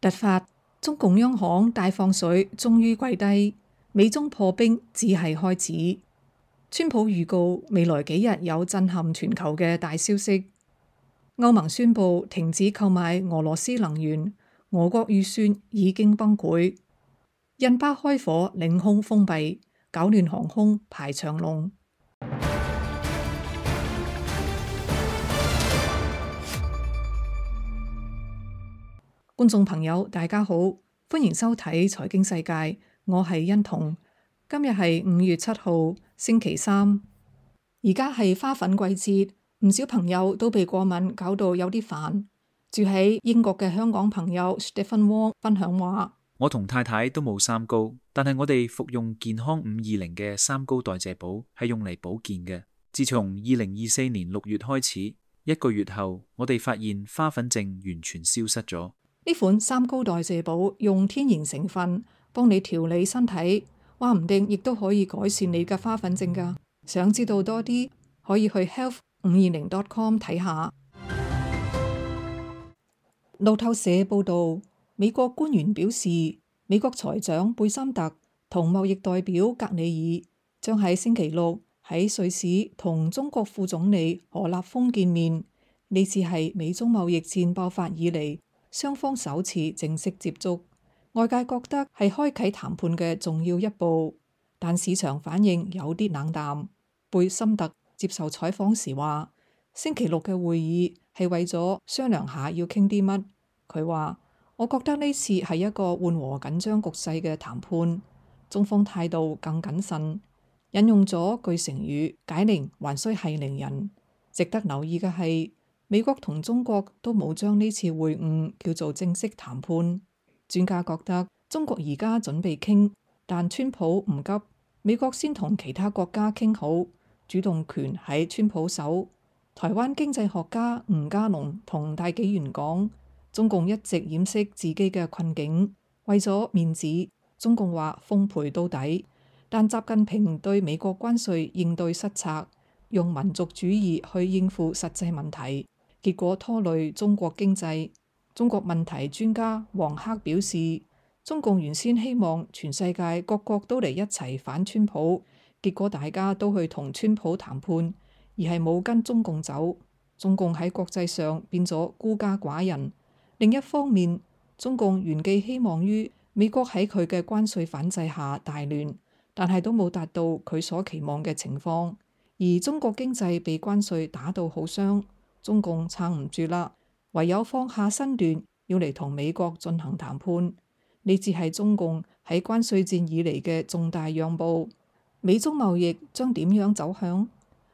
突發，中共央行大放水，終於跪低，美中破冰只係開始。川普預告未來幾日有震撼全球嘅大消息。歐盟宣布停止購買俄羅斯能源，俄國預算已經崩潰。印巴開火，領空封閉，搞亂航空排長龍。觀眾朋友，大家好，歡迎收睇財經世界，我係欣彤。今日係5月7號，星期三。而家係花粉季節，唔少朋友都被過敏搞到有啲煩。住喺英國嘅香港朋友 Stephen Wong 分享話：我同太太都冇三高，但係我哋服用健康520嘅三高代謝寶係用嚟保健嘅。自從2024年6月開始，1個月後，我哋發現花粉症完全消失咗。呢款三高代謝寶用天然成分幫你調理身體，話唔定亦都可以改善你嘅花粉症㗎。想知道多啲，可以去 health520.com 睇下。路透社報導，美國官員表示，美國財長貝森特同貿易代表格里爾將喺星期六喺瑞士同中國副總理何立峰見面。呢次係美中貿易戰爆發以嚟雙方首次正式接觸，外界覺得係開啟談判嘅重要一步，但市場反應有啲冷淡。貝森特接受採訪時話：星期六嘅會議係為咗商量下要傾啲乜。佢話：我覺得呢次係一個緩和緊張局勢嘅談判，中方態度更謹慎。引用咗句成語：解鈴還須繫鈴人。值得留意嘅係，美國同中國都冇將呢次會晤叫做正式談判。專家覺得中國而家準備傾，但川普唔急，美國先同其他國家傾好，主動權喺川普手。台灣經濟學家吳家龍同大紀元講，中共一直掩飾自己嘅困境，為咗面子，中共話奉陪到底。但習近平對美國關稅應對失策，用民族主義去應付實際問題，結果拖累中國經濟。中國問題專家黃克表示，中共原先希望全世界各國都嚟一齊反川普，結果大家都去同川普談判，而係冇跟中共走。中共喺國際上變咗孤家寡人。另一方面，中共原寄希望於美國喺佢嘅關稅反制下大亂，但係都冇達到佢所期望嘅情況。而中國經濟被關稅打到好傷，中共撐唔住啦，唯有放下身段，要嚟同美國進行談判。呢次係中共喺關稅戰以嚟嘅重大讓步。美中貿易將點樣走向？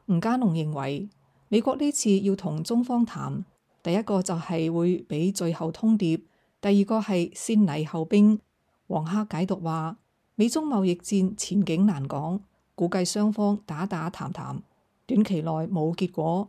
吳家龍認為，美國呢次要同中方談，第一個就係會俾最後通牒，第二個係先禮後兵。黃克解讀話，美中貿易戰前景難講，估計雙方打打談談，短期內冇結果。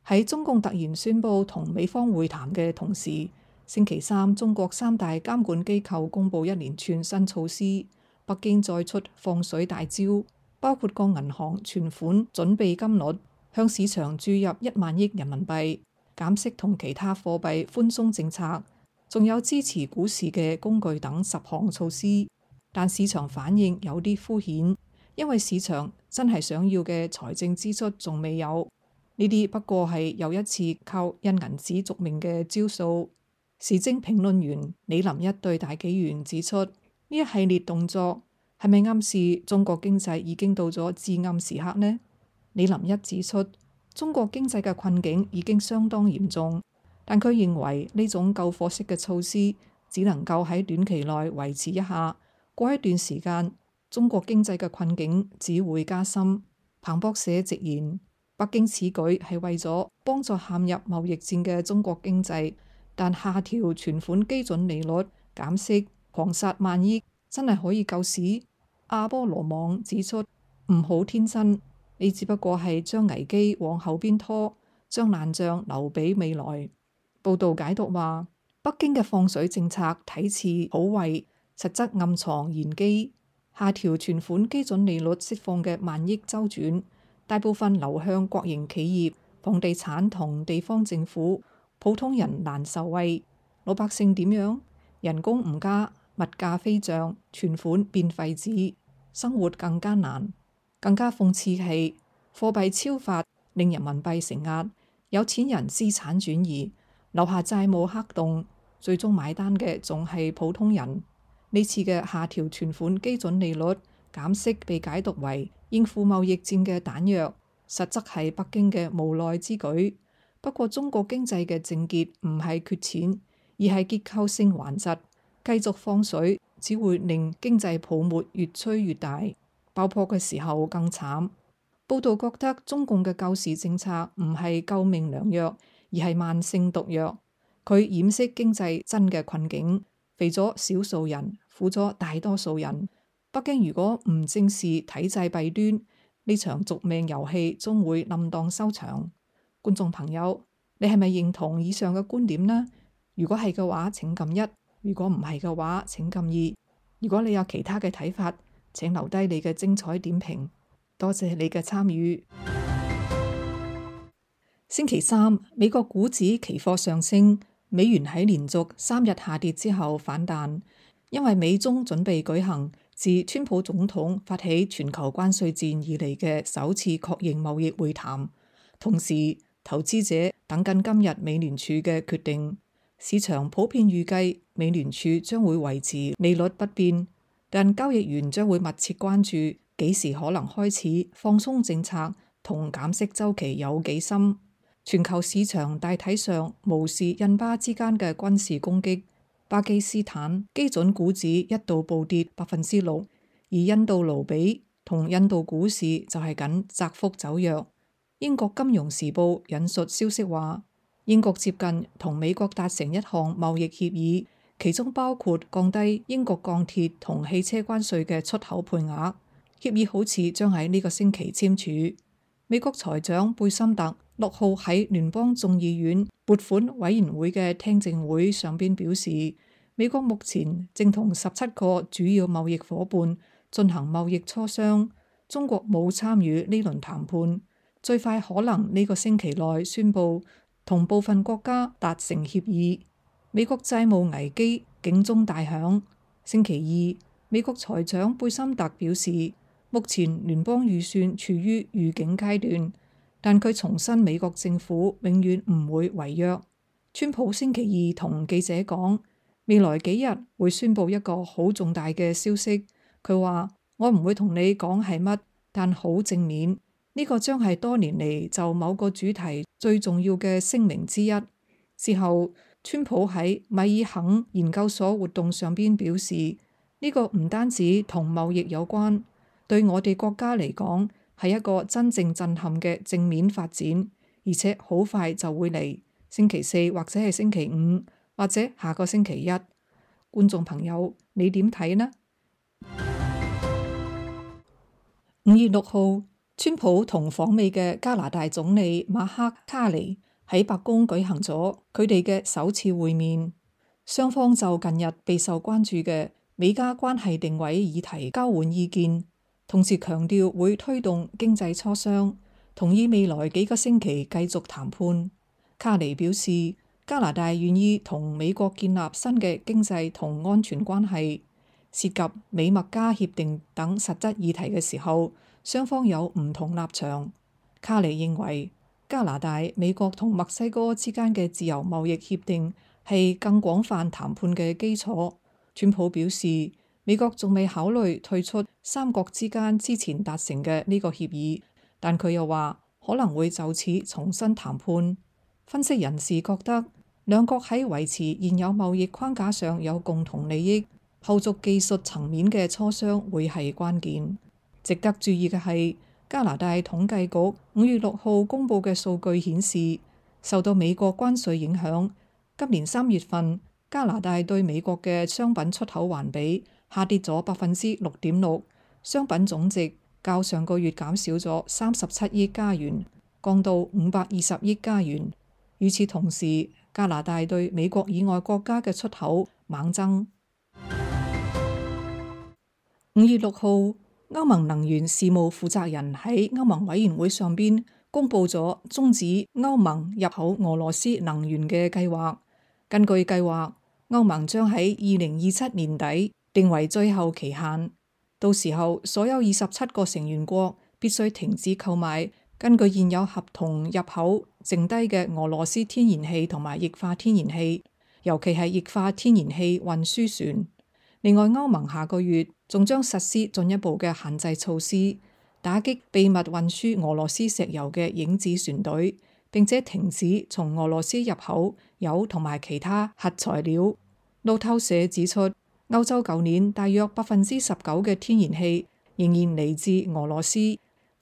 喺中共突然宣布同美方會談嘅同時，星期三中國三大監管機構公布一連串新措施，北京再出放水大招，包括降銀行存款準備金率，向市場注入1萬億人民幣，減息同其他貨幣寬鬆政策，仲有支持股市嘅工具等10項措施。但市場反應有啲敷衍，因為市場真係想要嘅財政支出仲未有。呢啲不過係又一次靠印銀紙續命嘅招數。時政評論員李林一對大紀元指出，呢一系列動作係咪暗示中國經濟已經到咗至暗時刻呢？李林一指出，中國經濟嘅困境已經相當嚴重，但佢認為呢種救火式嘅措施只能夠喺短期內維持一下，過一段時間中國經濟嘅困境只會加深。彭博社直言，北京此舉係為咗幫助陷入貿易戰嘅中國經濟，但下調存款基準利率、減息、狂殺萬億，真係可以救市？阿波羅網指出，唔好天真，你只不過係將危機往後邊拖，將爛賬留俾未來。報道解讀話，北京嘅放水政策睇似好惠，實則暗藏玄機。下調存款基準利率釋放嘅萬億周轉，大部分流向國營企業、房地產同地方政府，普通人難受惠。老百姓點樣？人工唔加，物價飛漲，存款變廢紙，生活更艱難。更加諷刺係貨幣超發令人民幣承壓，有錢人資產轉移，留下債務黑洞，最終買單嘅仲係普通人。呢次嘅下調存款基準利率減息被解讀為應付貿易戰嘅彈藥，實則係北京嘅無奈之舉。不過中國經濟嘅症結唔係缺錢，而係結構性頑疾，繼續放水只會令經濟泡沫越吹越大，爆破嘅時候更慘。報道覺得中共嘅救市政策唔係救命良藥，而係慢性毒藥。佢掩飾經濟真嘅困境，肥咗少數人，苦咗大多數人。北京如果唔正視體制弊端，呢場續命遊戲終會冧檔收場。觀眾朋友，你係咪認同以上嘅觀點呢？如果係嘅話，請撳1；如果唔係嘅話，請撳2。如果你有其他嘅睇法，請留低你嘅精彩點評。多謝你嘅參與。星期三，美國股指期貨上升，美元喺連續3日下跌之後反彈，因為美中準備舉行自川普總統發起全球關稅戰以嚟嘅首次確認貿易會談，同時投資者等緊今日美聯儲嘅決定。市場普遍預計美聯儲將會維持利率不變，但交易員將會密切關注幾時可能開始放鬆政策同減息週期有幾深。全球市場大體上無視印巴之間嘅軍事攻擊，巴基斯坦基準股指一度暴跌6%，而印度盧比同印度股市就係僅窄幅走弱。英國金融時報引述消息話，英國接近同美國達成一項貿易協議，其中包括降低英國鋼鐵同汽車關稅嘅出口配額。協議好似將喺呢個星期簽署。美國財長貝森特6號喺聯邦眾議院撥款委員會嘅聽證會上邊表示，美國目前正同17個主要貿易夥伴進行貿易磋商，中國冇參與呢輪談判，最快可能呢個星期內宣布同部分國家達成協議。美國債務危機警鐘大響。星期二，美國財長貝森特表示，目前聯邦預算處於預警階段，但佢重申美國政府永遠唔會違約。川普星期二同記者講，未來幾日會宣布一個好重大嘅消息。佢話：我唔會同你講係乜，但好正面。呢個將係多年嚟就某個主題最重要嘅聲明之一。之後，川普喺米爾肯研究所活動上邊表示，呢個唔單止同貿易有關，對我哋國家嚟講係一個真正震撼嘅正面發展，而且好快就會嚟，星期4或者係星期5或者下個星期1。觀眾朋友，你點睇呢？5月6號，川普同訪美嘅加拿大總理馬克卡尼喺白宮舉行咗佢哋嘅首次會面，雙方就近日備受關注嘅美加關係定位議題交換意見，同時強調會推動經濟磋商，同意未來幾個星期繼續談判。卡尼表示，加拿大願意同美國建立新嘅經濟同安全關係，涉及美墨加協定等實質議題嘅時候，雙方有唔同立場。卡尼認為，加拿大、美國同墨西哥之間嘅自由貿易協定係更廣泛談判嘅基礎。川普表示，美國仲未考慮退出三國之間之前達成嘅呢個協議，但佢又話可能會就此重新談判。分析人士覺得，兩國喺維持現有貿易框架上有共同利益，後續技術層面嘅磋商會係關鍵。值得注意嘅係，加拿大統計局5月6號公佈嘅數據顯示，受到美國關稅影響，今年3月份加拿大對美國嘅商品出口環比下跌咗6.6%，商品總值較上個月減少咗37億加元，降到520億加元。與此同時，加拿大對美國以外國家嘅出口猛增。5月6號，歐盟能源事務負責人喺歐盟委員會上邊公佈咗終止歐盟入口俄羅斯能源嘅計劃。根據計劃，歐盟將喺2027年底定為最後期限，到時候所有27個成員國必須停止購買根據現有合同入口剩低嘅俄羅斯天然氣同埋液化天然氣，尤其係液化天然氣運輸船。另外，歐盟下個月仲將實施進一步嘅限制措施，打擊秘密運輸俄羅斯石油嘅影子船隊，並且停止從俄羅斯入口鈾同埋其他核材料。路透社指出，歐洲舊年大約19%嘅天然氣仍然嚟自俄羅斯，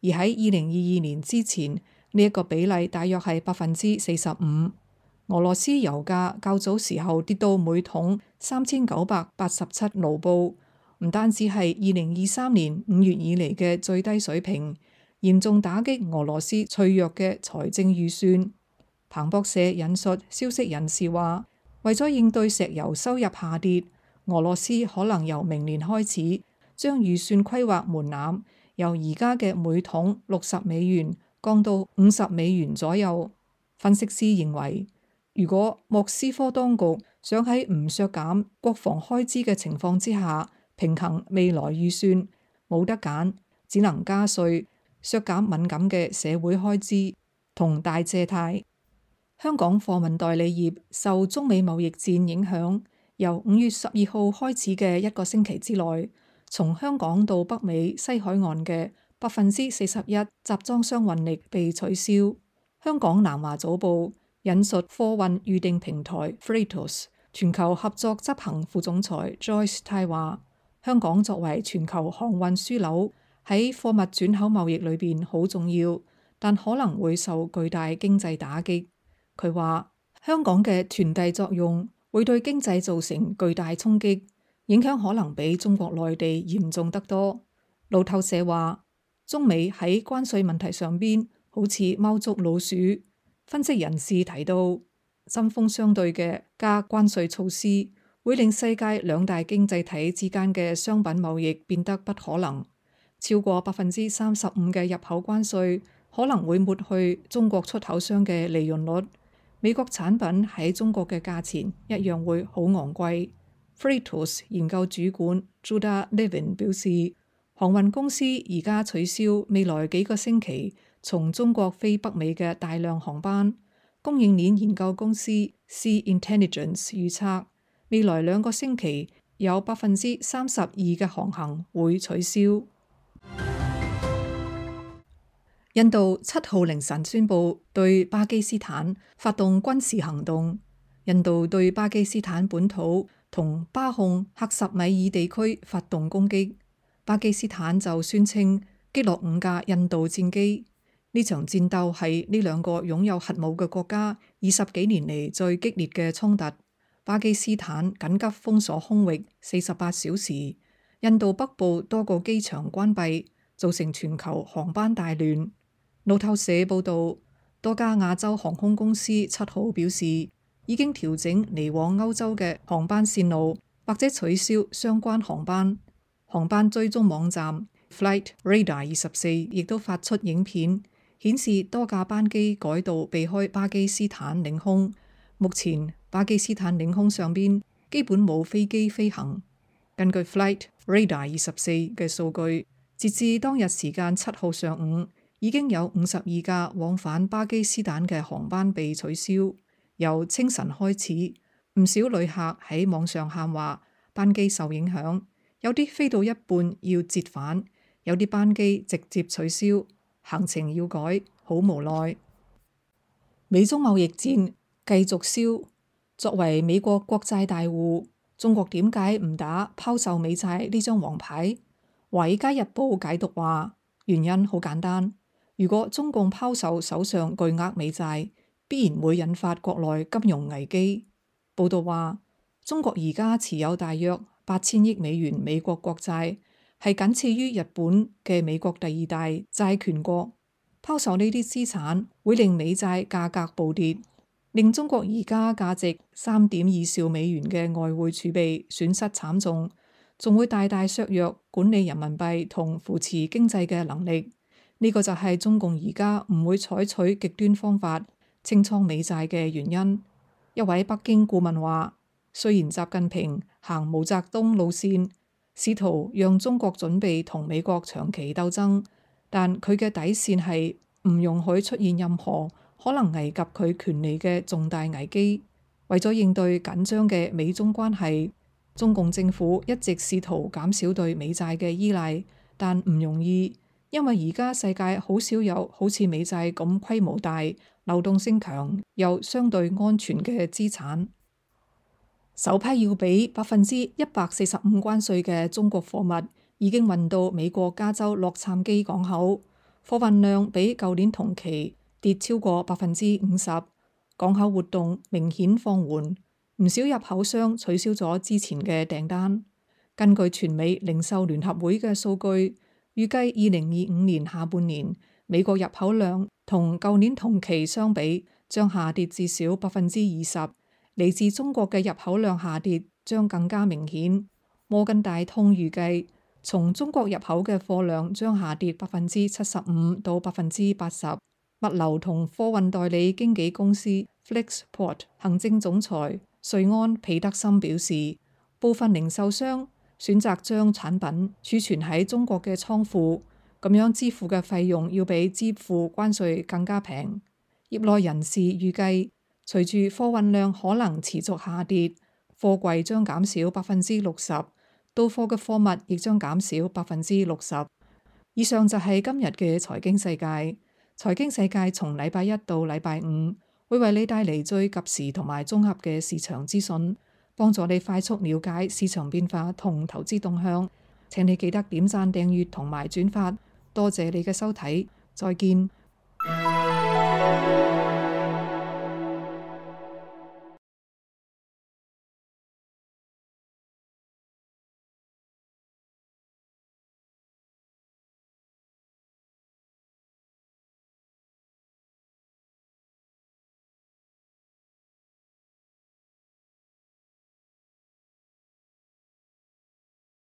而喺2022年之前呢一個比例大約係45%。俄羅斯油價較早時候跌到每桶3987盧布，唔單止係2023年5月以嚟嘅最低水平，嚴重打擊俄羅斯脆弱嘅財政預算。彭博社引述消息人士話，為咗應對石油收入下跌，俄羅斯可能由明年開始將預算規劃門檻由而家嘅每桶$60降到$50左右。分析師認為，如果莫斯科當局想喺唔削減國防開支嘅情況之下平衡未來預算，冇得揀，只能加稅、削減敏感嘅社會開支同大借貸。香港貨運代理業受中美貿易戰影響，由5月12號開始嘅一個星期之內，從香港到北美西海岸嘅41%集裝箱運力被取消。香港南華早報引述貨運預訂平台 Freightos 全球合作執行副總裁 Joyce 泰話，香港作為全球航運樞紐，喺貨物轉口貿易裏邊好重要，但可能會受巨大經濟打擊。佢話香港嘅傳遞作用會對經濟造成巨大衝擊，影響可能比中國內地嚴重得多。路透社話，中美喺關稅問題上邊好似貓捉老鼠。分析人士提到，針鋒相對嘅加關稅措施會令世界兩大經濟體之間嘅商品貿易變得不可能。超過35%嘅入口關稅可能會抹去中國出口商嘅利潤率，美國產品喺中國嘅價錢一樣會好昂貴。Freightos 研究主管 Judah Levin 表示，航運公司而家取消未來幾個星期從中國飛北美嘅大量航班。供應鏈研究公司 Sea Intelligence 預測，未來2個星期有32%嘅航行會取消。印度7號凌晨宣布對巴基斯坦發動軍事行動。印度對巴基斯坦本土同巴控克什米爾地區發動攻擊，巴基斯坦就宣稱擊落5架印度戰機。呢場戰鬥係呢2個擁有核武嘅國家20幾年嚟最激烈嘅衝突。巴基斯坦緊急封鎖空域48小時，印度北部多個機場關閉，造成全球航班大亂。路透社報道，多家亞洲航空公司7號表示，已經調整嚟往歐洲嘅航班線路，或者取消相關航班。航班追蹤網站 Flight Radar 24亦都發出影片，顯示多架班機改道避開巴基斯坦領空。目前巴基斯坦領空上邊基本冇飛機飛行。根據 Flight Radar 24嘅數據，截至當日時間7號上午，已經有52架往返巴基斯坦嘅航班被取消。由清晨開始，唔少旅客喺網上喊話班機受影響，有啲飛到一半要折返，有啲班機直接取消，行程要改，好無奈。美中貿易戰繼續燒，作為美國國債大戶，中國點解唔打拋售美債呢張黃牌？華爾街日報解讀話，原因好簡單，如果中共拋售手上巨額美債，必然會引發國內金融危機。報道話，中國而家持有大約8000億美元美國國債，係僅次於日本嘅美國第2大債權國。拋售呢啲資產會令美債價格暴跌，令中國而家價值3.2兆美元嘅外匯儲備損失慘重，仲會大大削弱管理人民幣同扶持經濟嘅能力。呢個就係中共而家唔會採取極端方法清倉美債嘅原因。一位北京顧問話，雖然習近平行毛澤東路線，試圖讓中國準備同美國長期鬥爭，但佢嘅底線係唔容許出現任何可能危及佢權利嘅重大危機。為咗應對緊張嘅美中關係，中共政府一直試圖減少對美債嘅依賴，但唔容易，因為而家世界好少有好似美債咁規模大、流動性強又相對安全嘅資產。首批要俾145%關稅嘅中國貨物已經運到美國加州洛杉磯港口，貨運量比舊年同期跌超過50%，港口活動明顯放緩，唔少入口商取消咗之前嘅訂單。根據全美零售聯合會嘅數據，預計2025年下半年美國入口量同舊年同期相比將下跌至少20%。嚟自中國嘅入口量下跌將更加明顯。摩根大通預計，從中國入口嘅貨量將下跌75%到80%。物流同貨運代理經紀公司 Flexport 行政總裁瑞安彼得森表示，部分零售商選擇將產品儲存喺中國嘅倉庫，咁樣支付嘅費用要比支付關稅更加平。業內人士預計，隨住貨運量可能持續下跌，貨櫃將減少60%，到貨嘅貨物亦將減少60%。以上就係今日嘅財經世界。財經世界從禮拜一到禮拜五會為你帶嚟最及時同埋綜合嘅市場資訊，幫助你快速了解市場變化同投資動向。請你記得點讚、訂閱同埋轉發。多謝你嘅收睇，再見。